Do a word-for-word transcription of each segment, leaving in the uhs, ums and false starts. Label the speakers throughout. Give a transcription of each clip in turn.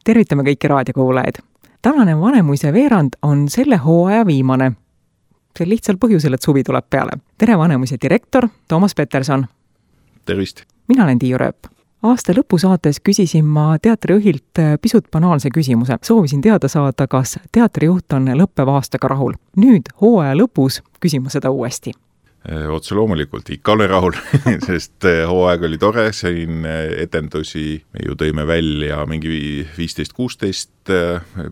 Speaker 1: Tervitame kõiki raadiokuulajaid. Tänane Vanemuise veerand on selle hooaja viimane. See lihtsal põhjusel, et suvi tuleb peale. Tere Vanemuise direktor Toomas Peterson.
Speaker 2: Tervist!
Speaker 1: Mina olen Tiiu Rööp. Aasta lõpusaates küsisin ma teatrijuhilt pisut banaalse küsimuse. Soovisin teada saada, kas teatrijuht on lõppeva aastaga rahul. Nüüd hooaja lõpus küsin ma seda uuesti.
Speaker 2: Otse loomulikult ikka olen rahul, sest hooaeg oli tore, sain etendusi, me ju tõime välja mingi viisteist kuusteist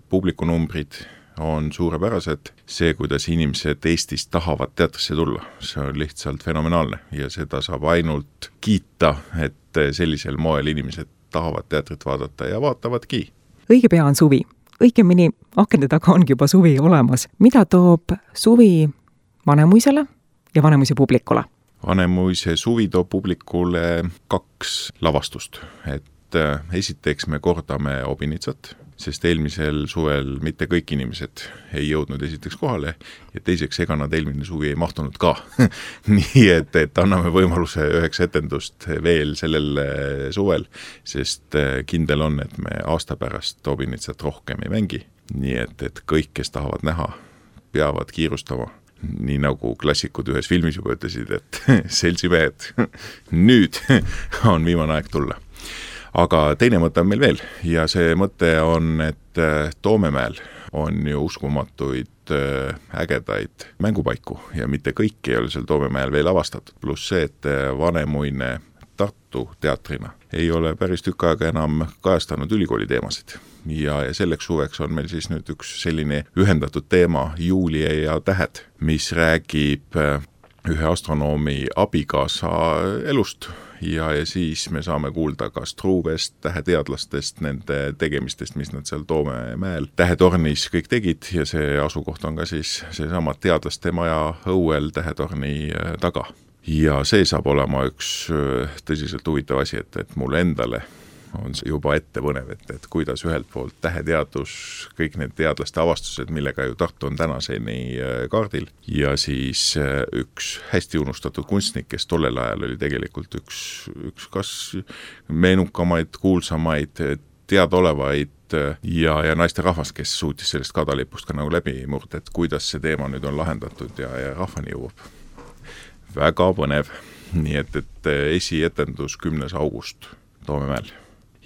Speaker 2: publikunumbrid on suurepärased. See, kuidas inimesed Eestis tahavad teatrisse tulla, see on lihtsalt fenomenaalne ja seda saab ainult kiita, et sellisel moel inimesed tahavad teatrit vaadata ja vaatavadki.
Speaker 1: Õige pea on suvi. Õigemini akende taga ongi juba suvi olemas. Mida toob suvi Vanemuisele ja Vanemuise publikule?
Speaker 2: Vanemuise suvi toob publikule kaks lavastust. Et esiteks me kordame Obinitsat, sest eelmisel suvel mitte kõik inimesed ei jõudnud esiteks kohale ja teiseks ega nad eelmine suvi ei mahtunud ka. Nii et, et anname võimaluse üheks etendust veel sellel suvel, sest kindel on, et me aasta pärast Obinitsat rohkem ei mängi. Nii et, et kõik, kes tahavad näha, peavad kiirustama. Nii nagu klassikud ühes filmis juba ütlesid, et seltsimehed, nüüd on viimane aeg tulla. Aga teine mõte on meil veel ja see mõte on, et Toomemäel on ju uskumatuid ägedaid mängupaiku ja mitte kõik ei ole seal Toomemäel veel avastatud, pluss see, et Vanemuine Tartu teatrina ei ole päris tükk aega enam kajastanud ülikooli teemasid. Ja, ja selleks suveks on meil siis nüüd üks selline ühendatud teema Julia ja tähed, mis räägib ühe astronoomi abikaasa elust. Ja, ja siis me saame kuulda ka Struuvest, täheteadlastest, nende tegemistest, mis nad seal Toomemäel tähetornis kõik tegid ja see asukoht on ka siis seesama teadlaste maja õuel tähetorni taga. Ja see saab olema üks tõsiselt huvitav asi, et, et mulle endale on juba ette põnev, et, et kuidas ühelt poolt täheteadus, kõik need teadlaste avastused, millega ju Tartu on tänaseni kaardil ja siis üks hästi unustatud kunstnik, kes tollel ajal oli tegelikult üks, üks kas meenukamaid, kuulsamaid, teadaolevaid ja, ja naiste rahvas, kes suutis sellest kadalipust ka nagu läbi murda, et kuidas see teema nüüd on lahendatud ja, ja rahvani jõuab. Väga põnev, nii et, et esietendus kümnes august Toomemäel.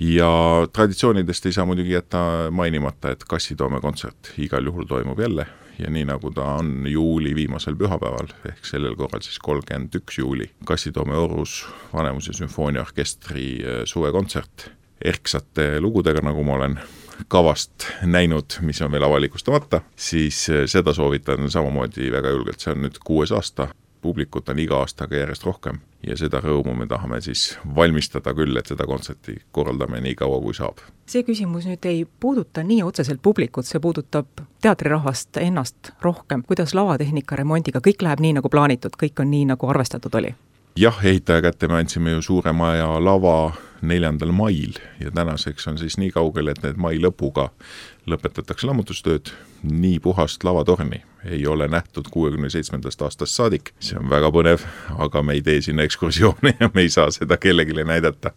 Speaker 2: Ja traditsioonidest ei saa muidugi jätta mainimata, et Kassitoome kontsert igal juhul toimub jälle ja nii nagu ta on juuli viimasel pühapäeval, ehk sellel korral siis kolmkümmend üks juuli, Kassitoome Orus Vanemuise sümfooniaorkestri suvekontsert erksate lugudega, nagu ma olen kavast näinud, mis on veel avalikustamata, siis seda soovitan samamoodi väga julgelt, see on nüüd kuues aasta. Publikut on iga aastaga järjest rohkem ja seda rõõmu me tahame siis valmistada küll, et seda kontserti korraldame nii kaua kui saab.
Speaker 1: See küsimus nüüd ei puuduta nii otseselt publikut, see puudutab teatrirahvast ennast rohkem. Kuidas lavatehnika remondiga, kõik läheb nii nagu plaanitud, kõik on nii nagu arvestatud oli?
Speaker 2: Jah, ehitaja kätte me andsime ju suure maja lava neljandal mail ja tänaseks on siis nii kaugel, et need mai lõpuga lõpetatakse lammutustööd, nii puhast lavatorni ei ole nähtud kuuekümne seitsmendast aastast saadik. See on väga põnev, aga me ei tee sinna ekskursioone ja me ei saa seda kellegile näidata.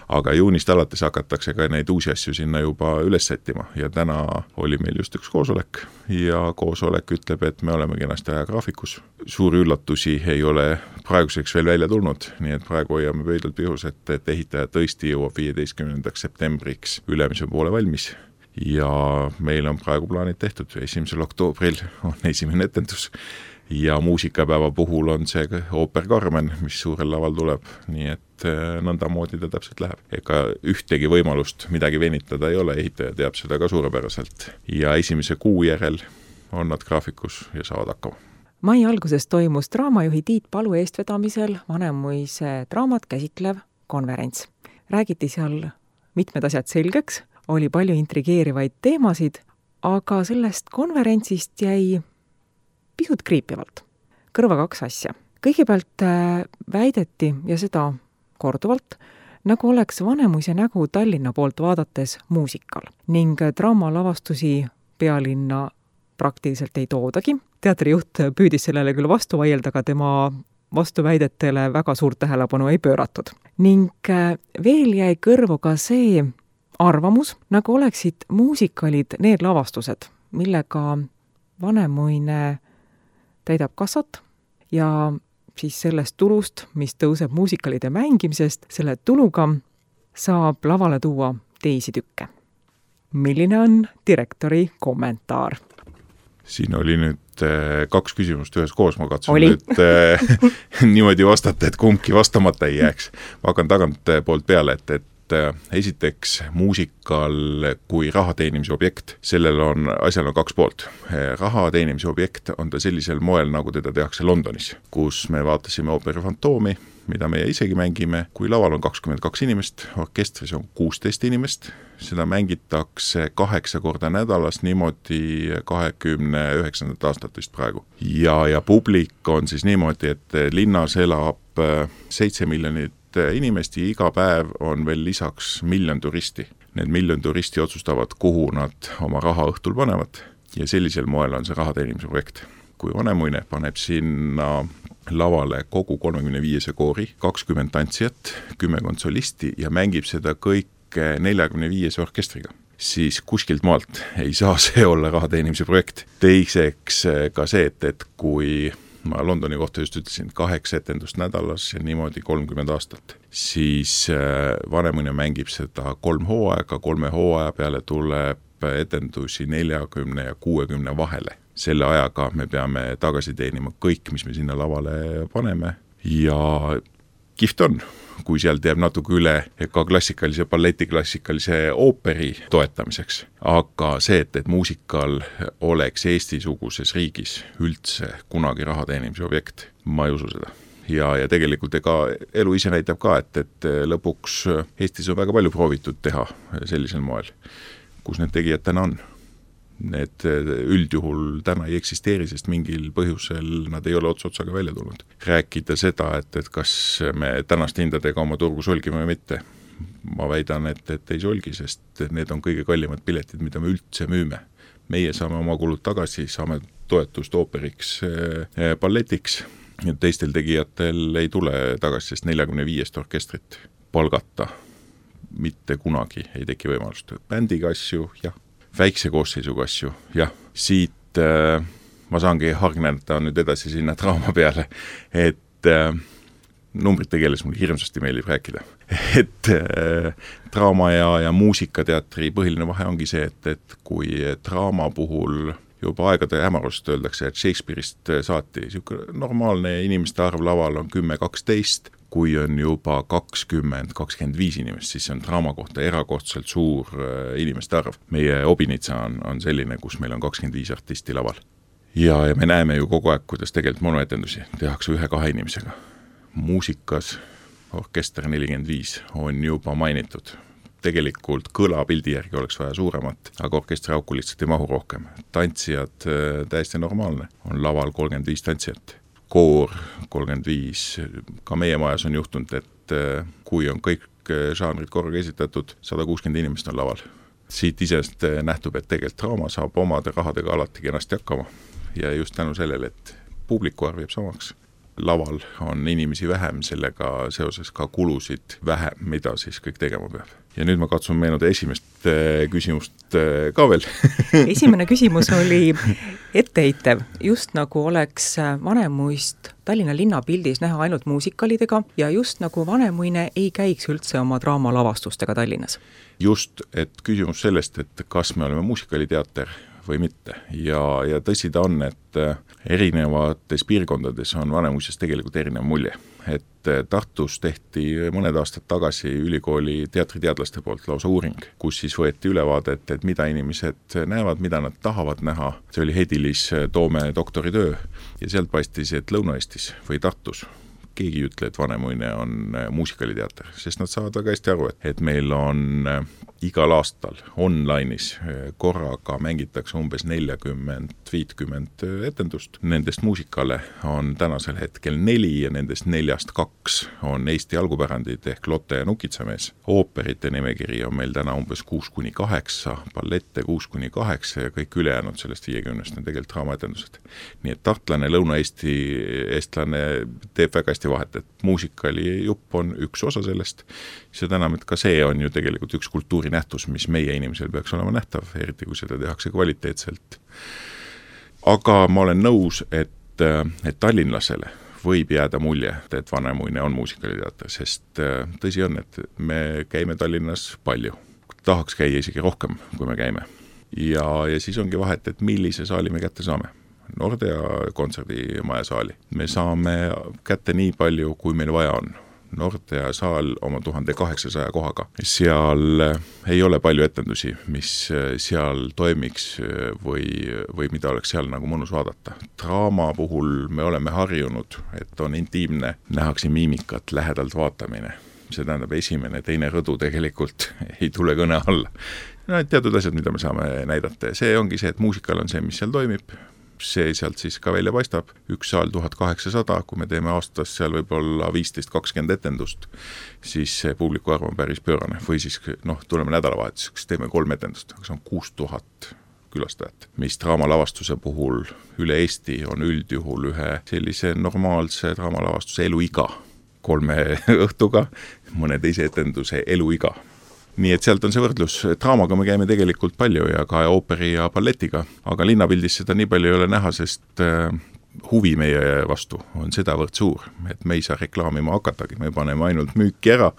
Speaker 2: Aga juunist alates hakatakse ka neid uusi asju sinna juba üles sättima ja täna oli meil just üks koosolek ja koosolek ütleb, et me oleme kenasti ajagraafikus. Suuri üllatusi ei ole praeguseks veel välja tulnud, nii et praegu hoiame pöidlalt pihus, et, et ehitaja tõesti jõuab viieteistkümnendaks septembriks ülemise poole valmis. Ja meil on praegu plaanid tehtud, esimesel oktoobril on esimene etendus ja muusikapäeva puhul on see ooper Carmen, mis suurel laval tuleb, nii et nõnda moodi ta täpselt läheb. Ega ühtegi võimalust midagi venitada ei ole, ehitaja teab seda ka suurepäraselt ja esimese kuu järel on nad graafikus ja saavad hakkama.
Speaker 1: Mai alguses toimus draamajuhi Tiit Palu eestvedamisel Vanemuise draamat käsitlev konverents. Räägiti seal mitmed asjad selgeks, oli palju intrigeerivaid teemasid, aga sellest konverentsist jäi pisut kriipivalt. Kõrva kaks asja. Kõigepealt väideti, ja seda korduvalt, nagu oleks Vanemuise nägu Tallinna poolt vaadates muusikal ning draamalavastusi pealinna praktiliselt ei toodagi. Teatrijuht püüdis sellele küll vastu vaielda, aga tema vastuväidetele väga suurt tähelepanu ei pööratud. Ning veel jäi kõrvu ka see arvamus, nagu oleksid muusikalid need lavastused, millega Vanemuine täidab kassat ja siis sellest tulust, mis tõuseb muusikalide mängimisest, selle tuluga saab lavale tuua teisi tükke. Milline on direktori kommentaar?
Speaker 2: Siin oli nüüd kaks küsimust ühes koos, ma katsun oli. nüüd äh, niimoodi vastata, et kumbki vastamata ei jääks. Ma hakkan tagant poolt peale, et, et esiteks muusikal kui raha teenimise objekt, sellel on, asjal on kaks poolt. Raha teenimise objekt on ta sellisel moel, nagu teda tehakse Londonis, kus me vaatasime ooperi Fantoomi, mida meie isegi mängime, kui laval on kakskümmend kaks inimest, orkestris on kuusteist inimest, seda mängitakse kaheksa korda nädalas, niimoodi kahekümne üheksandat aastat vist praegu. Ja, ja publik on siis niimoodi, et linnas elab seitse miljonit inimest ja iga päev on veel lisaks miljon turisti. Need miljon turisti otsustavad, kuhu nad oma raha õhtul panevad ja sellisel moel on see raha teenimise projekt. Kui Vanemuine paneb sinna lavale kogu kolmekümne viiese koori, kakskümmend tantsijat, kümme konsolisti ja mängib seda kõik neljakümne viies orkestriga, siis kuskilt maalt ei saa see olla raha teenimise projekt. Teiseks ka see, et, et kui ma Londoni kohta just ütlesin, kaheksa etendust nädalas ja niimoodi kolmkümmend aastat, siis Vanemuine mängib seda kolm hooaega, kolme hooaja peale tuleb etendusi neljakümne ja kuuekümne vahele. Selle ajaga me peame tagasi teenima kõik, mis me sinna lavale paneme ja kihvt on, kui sealt jääb natuke üle ka klassikalise balleti, klassikalise ooperi toetamiseks. Aga see, et, et muusikal oleks Eesti-suguses riigis üldse kunagi raha teenimise objekt, ma ei usu seda. Ja, ja tegelikult ega elu ise näitab ka, et, et lõpuks Eestis on väga palju proovitud teha sellisel moel, kus need tegijad täna on. Need üldjuhul täna ei eksisteeri, sest mingil põhjusel nad ei ole ots otsaga välja tulnud. Rääkida seda, et, et kas me tänast hindadega oma turgu solgime või mitte, ma väidan, et, et ei solgi, sest need on kõige kallimad piletid, mida me üldse müüme. Meie saame oma kulud tagasi, saame toetust ooperiks, balletiks, ja teistel tegijatel ei tule tagasi, sest neljakümne viiest orkestrit palgata mitte kunagi ei teki võimalust. Bändiga asju, jah. Väikse koosseisuga asju, jah, siit äh, ma saangi hargneda nüüd edasi sinna draama peale, et äh, numbrite keeles mul hirmsasti meeldib rääkida. Et äh, draama ja, ja muusikateatri põhiline vahe ongi see, et, et kui draama puhul juba aegade hämarust öeldakse, et Shakespeare'ist saati normaalne inimeste arv laval on kümme kaksteist, kui on juba kakskümmend kakskümmend viis inimest, siis see on draama kohta erakordselt suur inimeste arv. Meie Obinitsa on, on selline, kus meil on kakskümmend viis artisti laval. Ja, ja me näeme ju kogu aeg, kuidas tegelikult monoetendusi tehakse ühe-kahe inimesega. Muusikas orkester nelikümmend viis on juba mainitud. Tegelikult kõla pildi järgi oleks vaja suuremat, aga orkestri auku lihtsalt ei mahu rohkem. Tantsijad täiesti normaalne, on laval kolmkümmend viis tantsijat. Koor kolmkümmend viis, ka meie majas on juhtunud, et kui on kõik žanrid korraga esitatud, sada kuuskümmend inimest on laval. Siit isest nähtub, et tegelikult draama saab omade rahadega alati kenasti hakkama ja just tänu sellele, et publiku arv jääb samaks. Laval on inimesi vähem, sellega seoses ka kulusid vähem, mida siis kõik tegema peab. Ja nüüd ma katsun meenuda esimest küsimust ka veel.
Speaker 1: Esimene küsimus oli etteheitev, just nagu oleks Vanemuist Tallinna linnapildis näha ainult muusikalidega ja just nagu Vanemuine ei käiks üldse oma draamalavastustega Tallinnas.
Speaker 2: Just, et küsimus sellest, et kas me oleme muusikaliteater või mitte. Ja, ja tõsi ta on, et erinevates piirkondades on Vanemuisest tegelikult erinev mulje. Et Tartus tehti mõned aastad tagasi ülikooli teatriteadlaste poolt lausa uuring, kus siis võeti ülevaadet, et mida inimesed näevad, mida nad tahavad näha. See oli Hedilis Toome doktoritöö ja sealt paistis, et Lõuna-Eestis või Tartus keegi ei ütle, et Vanemuine on muusikaliteater, sest nad saavad väga hästi aru, et meil on igal aastal online'is korraga mängitakse umbes nelikümmend viiskümmend etendust. Nendest muusikale on tänasel hetkel neli ja nendest neljast kaks on Eesti algupärandid ehk Lotte ja Nukitsamees. Ooperite nimekiri on meil täna umbes kuus kuni kaheksa, ballette kuus kuni kaheksa ja kõik ülejäänud sellest viiekümnest on tegelikult draamaetendused. Nii et tartlane, Lõuna-Eesti eestlane teeb väga hästi vahet, et muusikali jupp on üks osa sellest. Seda enam, et ka see on ju tegelikult üks kultuuri kultuurinähtus, mis meie inimesel peaks olema nähtav, eriti kui seda tehakse kvaliteetselt. Aga ma olen nõus, et, et tallinlasele võib jääda mulje, et Vanemuine on muusikaliteater, sest tõsi on, et me käime Tallinnas palju. Tahaks käia isegi rohkem, kui me käime. Ja, ja siis ongi vahet, et millise saali me kätte saame. Nordea kontserdimaja saali. Me saame kätte nii palju, kui meil vaja on. Nordea saal oma tuhande kaheksasaja kohaga. Seal ei ole palju etendusi, mis seal toimiks või, või mida oleks seal nagu mõnus vaadata. Draama puhul me oleme harjunud, et on intiimne, nähakse miimikat, lähedalt vaatamine. See tähendab esimene, teine rõdu tegelikult ei tule kõne alla. No, teatud asjad, mida me saame näidata. See ongi see, et muusikal on see, mis seal toimib. See sealt siis ka välja paistab. Üks saal tuhat kaheksasada, kui me teeme aastas seal võib-olla viisteist kakskümmend etendust, siis see publiku arv on päris pöörane. Või siis, noh, tuleme nädalavahetuseks, teeme kolm etendust, aga see on kuus tuhat külastajat. Mis draamalavastuse puhul üle Eesti on üldjuhul ühe sellise normaalse draamalavastuse eluiga. Kolme õhtuga, mõne teise etenduse eluiga. Nii et sealt on see võrdlus. Draamaga me käime tegelikult palju ja ka ooperi ja balletiga, aga linnapildis seda nii palju ei ole näha, sest huvi meie vastu on sedavõrd suur, et me ei saa reklaamima hakatagi, me paneme ainult müüki ära,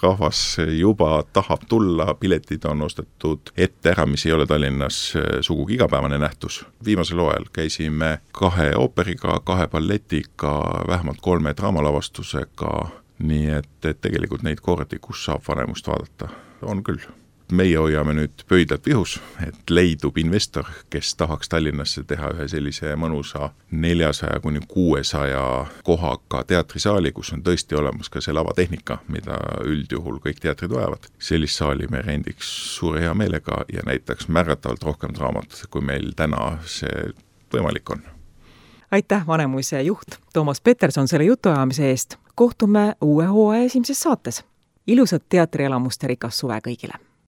Speaker 2: rahvas juba tahab tulla, piletid on ostetud ette ära, mis ei ole Tallinnas sugugi igapäevane nähtus. Viimasel hooajal käisime kahe ooperiga, kahe balletiga, vähemalt kolme draamalavastusega, nii et, et tegelikult neid kordi, kus saab Vanemust vaadata, on küll. Meie hoiame nüüd pöidlad vihus, et leidub investor, kes tahaks Tallinnasse teha ühe sellise mõnusa neljasaja kuni kuuesaja kohaga teatrisaali, kus on tõesti olemas ka see lavatehnika, mida üldjuhul kõik teatrid vajavad. Sellist saali me rendiks suure hea meelega ja näitaks märgatavalt rohkem draamat, kui meil täna see võimalik on.
Speaker 1: Aitäh, Vanemuise juht Toomas Peterson selle jutuajamise eest. Kohtume uue hooaja esimeses saates. Ilusat teatrielamuste rikas suve kõigile!